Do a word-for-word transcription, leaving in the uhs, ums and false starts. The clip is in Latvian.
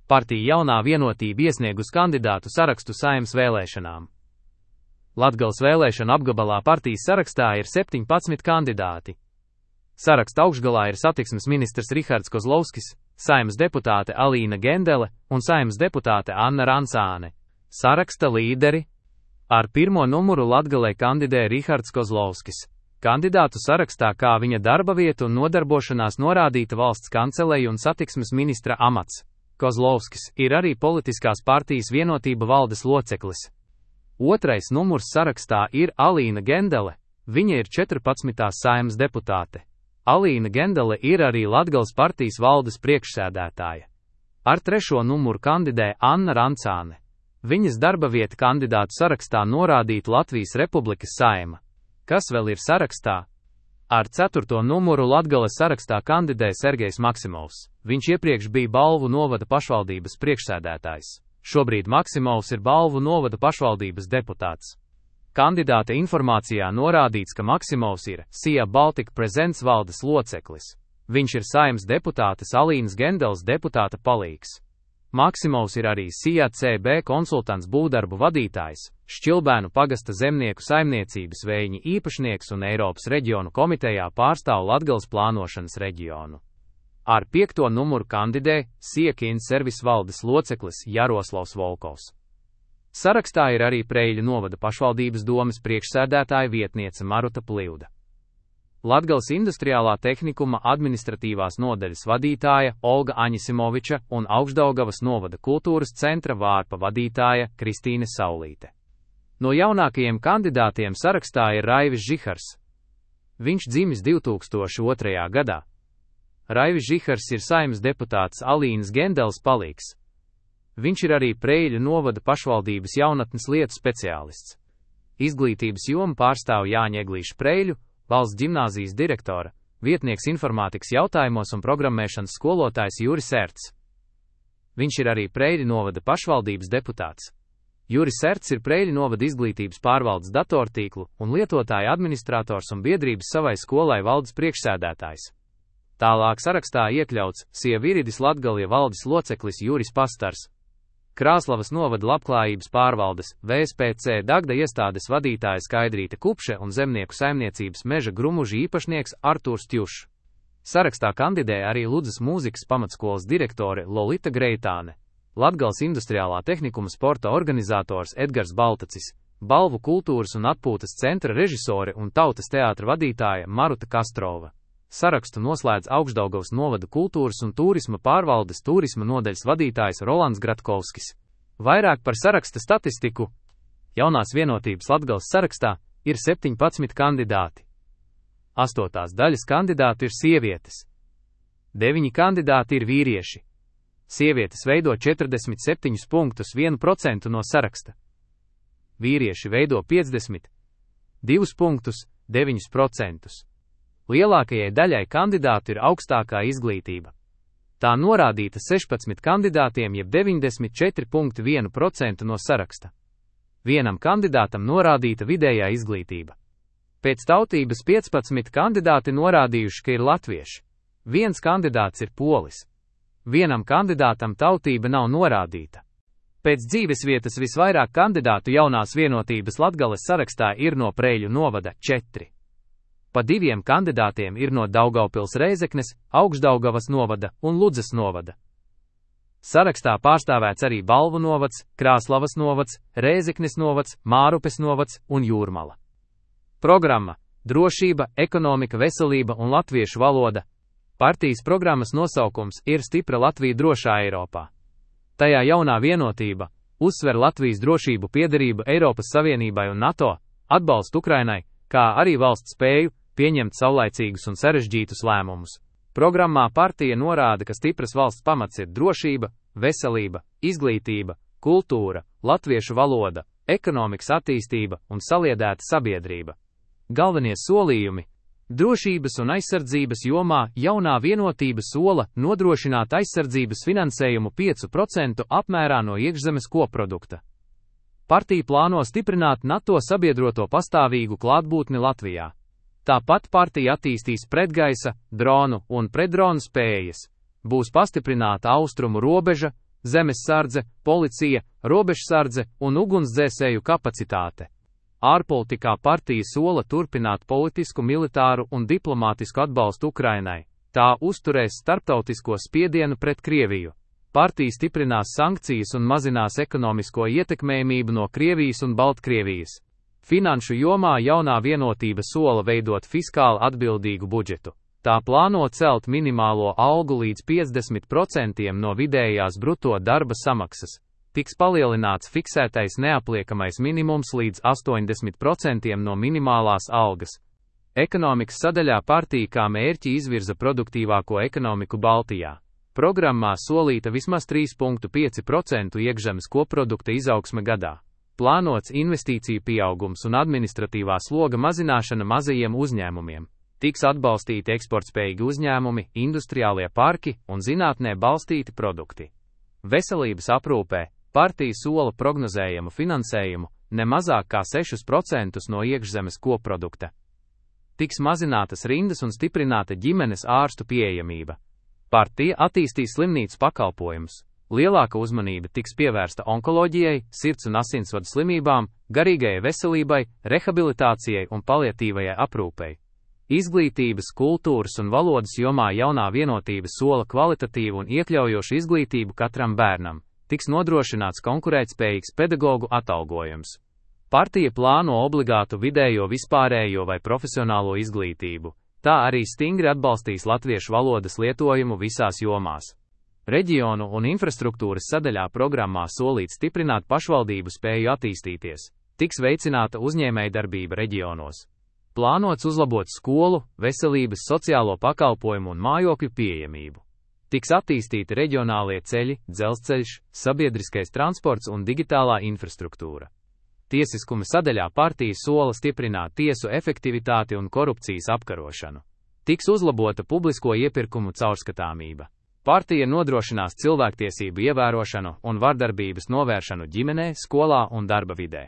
Partija Jaunā vienotība iesniegus kandidātu sarakstu Saeimas vēlēšanām. Latgales vēlēšanu apgabalā partijas sarakstā ir septiņpadsmit kandidāti. Saraksta augšgalā ir satiksmes ministrs Rihards Kozlovskis, Saeimas deputāte Alīna Gendele un Saeimas deputāte Anna Rancāne. Saraksta līderi. Ar pirmo numuru Latgalē kandidē Rihards Kozlovskis. Kandidātu sarakstā kā viņa darba vieta un nodarbošanās norādīta valsts kanceleja un satiksmes ministra amats. Kozlovskis ir arī politiskās partijas Vienotība valdes loceklis. Otrais numurs sarakstā ir Alīna Gendele. Viņa ir četrpadsmitā Saeimas deputāte. Alīna Gendele ir arī Latgales partijas valdes priekšsēdētāja. Ar trešo numuru kandidē Anna Rancāne. Viņas darba vieta kandidātu sarakstā norādīta Latvijas Republikas Saeima. Kas vēl ir sarakstā? Ar ceturto numuru Latgales sarakstā kandidē Sergejs Maksimovs. Viņš iepriekš bija Balvu novada pašvaldības priekšsēdētājs. Šobrīd Maksimovs ir Balvu novada pašvaldības deputāts. Kandidāta informācijā norādīts, ka Maksimovs ir Sija Baltika Presents valdes loceklis. Viņš ir Saeimas deputātes Alīnas Gendeles deputāta palīgs. Maksimovs ir arī Sija C B konsultants būvdarbu vadītājs, Šķilbēnu pagasta zemnieku saimniecības vējiņa īpašnieks un Eiropas reģionu komitejā pārstāv Latgales plānošanas reģionu. Ar piekto numuru kandidē Siekiņu servis valdes loceklis Jaroslavs Volkovs. Sarakstā ir arī Preiļu novada pašvaldības domes priekšsēdētāja vietniece Maruta Plivda. Latgales industriālā tehnikuma administratīvās nodaļas vadītāja Olga Aņisimoviča un Augšdaugavas novada kultūras centra vārpa vadītāja Kristīne Saulīte. No jaunākajiem kandidātiem sarakstā ir Raivis Žihars. Viņš dzimis divi tūkstoši otrajā gadā. Raivis Žihars ir Saeimas deputāts Alīnas Gendeles palīgs. Viņš ir arī Preiļu novada pašvaldības jaunatnes lietu speciālists. Izglītības jomu pārstāv Jāņa Eglīša Preiļu, valsts ģimnāzijas direktora, vietnieks informātikas jautājumos un programmēšanas skolotājs Juris Erts. Viņš ir arī Preiļu novada pašvaldības deputāts. Juris Erts ir Preiļu novada izglītības pārvaldes datortīklu un lietotāja administrators un biedrības savai skolai valdes priekšsēdētājs. Tālāk sarakstā iekļauts Sieviridis Latgalie valdes loceklis Juris Pastars, Krāslavas novada labklājības pārvaldes V S P C Dagda iestādes vadītāja Skaidrīte Kupše un zemnieku saimniecības meža grumuži īpašnieks Artūrs Tjušs. Sarakstā kandidē arī Ludzas mūzikas pamatskolas direktore Lolita Greitāne, Latgales industriālā tehnikuma sporta organizators Edgars Baltacis, Balvu kultūras un atpūtas centra režisore un tautas teātra vadītāja Maruta Kastrova. Sarakstu noslēdz Augšdaugavas novada kultūras un turisma pārvaldes turisma nodaļas vadītājs Rolands Gratkovskis. Vairāk par saraksta statistiku. Jaunās vienotības Latgales sarakstā ir septiņpadsmit kandidāti. Astotās daļas kandidātu ir sievietes. Deviņi kandidāti ir vīrieši. Sievietes veido četrdesmit septiņus punktus vienu procentu no saraksta. Vīrieši veido piecdesmit divus punktus deviņus procentus. Lielākajai daļai kandidātu ir augstākā izglītība. Tā norādīta sešpadsmit kandidātiem jeb deviņdesmit četri punkti vienu procentu no saraksta. Vienam kandidātam norādīta vidējā izglītība. Pēc tautības piecpadsmit kandidāti norādījuši, ka ir latvieši. Viens kandidāts ir polis. Vienam kandidātam tautība nav norādīta. Pēc dzīvesvietas visvairāk kandidātu jaunās vienotības Latgales sarakstā ir no Preiļu novada četri. Pa diviem kandidātiem ir no Daugavpils Reizeknes, Augšdaugavas novada un Ludzas novada. Sarakstā pārstāvēts arī Balvu novads, Krāslavas novads, Reizeknes novads, Mārupes novads un Jūrmala. Programma – drošība, ekonomika, veselība un latviešu valoda. Partijas programmas nosaukums ir Stipra Latvija drošā Eiropā. Tajā jaunā vienotība uzsver Latvijas drošību, piederību Eiropas Savienībai un NATO, atbalstu Ukrainai, kā arī valsts spēju pieņemt saulaicīgus un sarežģītus lēmumus. Programmā partija norāda, ka stipras valsts pamats ir drošība, veselība, izglītība, kultūra, latviešu valoda, ekonomikas attīstība un saliedēta sabiedrība. Galvenie solījumi. Drošības un aizsardzības jomā jaunā vienotība sola nodrošināt aizsardzības finansējumu pieci procenti apmērā no iekšzemes koprodukta. Partija plāno stiprināt NATO sabiedroto pastāvīgu klātbūtni Latvijā. Tāpat partija attīstīs pretgaisa, dronu un pretdronu spējas. Būs pastiprināta austrumu robeža, zemessardze, policija, robežsardze un ugunsdzēsēju kapacitāte. Ārpolitikā partija sola turpināt politisku, militāru un diplomātisku atbalstu Ukrainai. Tā uzturēs starptautisko spiedienu pret Krieviju. Partija stiprinās sankcijas un mazinās ekonomisko ietekmējamību no Krievijas un Baltkrievijas. Finanšu jomā jaunā vienotība sola veidot fiskāli atbildīgu budžetu. Tā plāno celt minimālo algu līdz piecdesmit procentiem no vidējās bruto darba samaksas. Tiks palielināts fiksētais neapliekamais minimums līdz astoņdesmit procentiem no minimālās algas. Ekonomikas sadaļā partija kā mērķi izvirza produktīvāko ekonomiku Baltijā. Programmā solīta vismaz trīs komats pieci procenti iekšzemes koprodukta izaugsme gadā. Plānots investīciju pieaugums un administratīvā sloga mazināšana mazajiem uzņēmumiem. Tiks atbalstīti eksportspējīgi uzņēmumi, industriālie parki un zinātnē balstīti produkti. Veselības aprūpē partija sola prognozējamu finansējumu ne mazāk kā sešus procentus no iekšzemes koprodukta. Tiks mazinātas rindas un stiprināta ģimenes ārstu pieejamība. Partija attīstīs slimnīcu pakalpojumus. Lielāka uzmanība tiks pievērsta onkoloģijai, sirds un asinsvadu slimībām, garīgajai veselībai, rehabilitācijai un paliatīvajai aprūpei. Izglītības, kultūras un valodas jomā jaunā vienotība sola kvalitatīvu un iekļaujošu izglītību katram bērnam. Tiks nodrošināts konkurētspējīgs pedagogu atalgojums. Partija plāno obligātu vidējo vispārējo vai profesionālo izglītību. Tā arī stingri atbalstīs latviešu valodas lietojumu visās jomās. Reģionu un infrastruktūras sadaļā programmā solīts stiprināt pašvaldību spēju attīstīties. Tiks veicināta uzņēmējdarbība reģionos. Plānots uzlabot skolu, veselības, sociālo pakalpojumu un mājokļu pieejamību. Tiks attīstīti reģionālie ceļi, dzelzceļš, sabiedriskais transports un digitālā infrastruktūra. Tiesiskuma sadaļā partija sola stiprināt tiesu efektivitāti un korupcijas apkarošanu. Tiks uzlabota publisko iepirkumu caurskatāmība. Partija nodrošinās cilvēktiesību ievērošanu un vardarbības novēršanu ģimenē, skolā un darba vidē.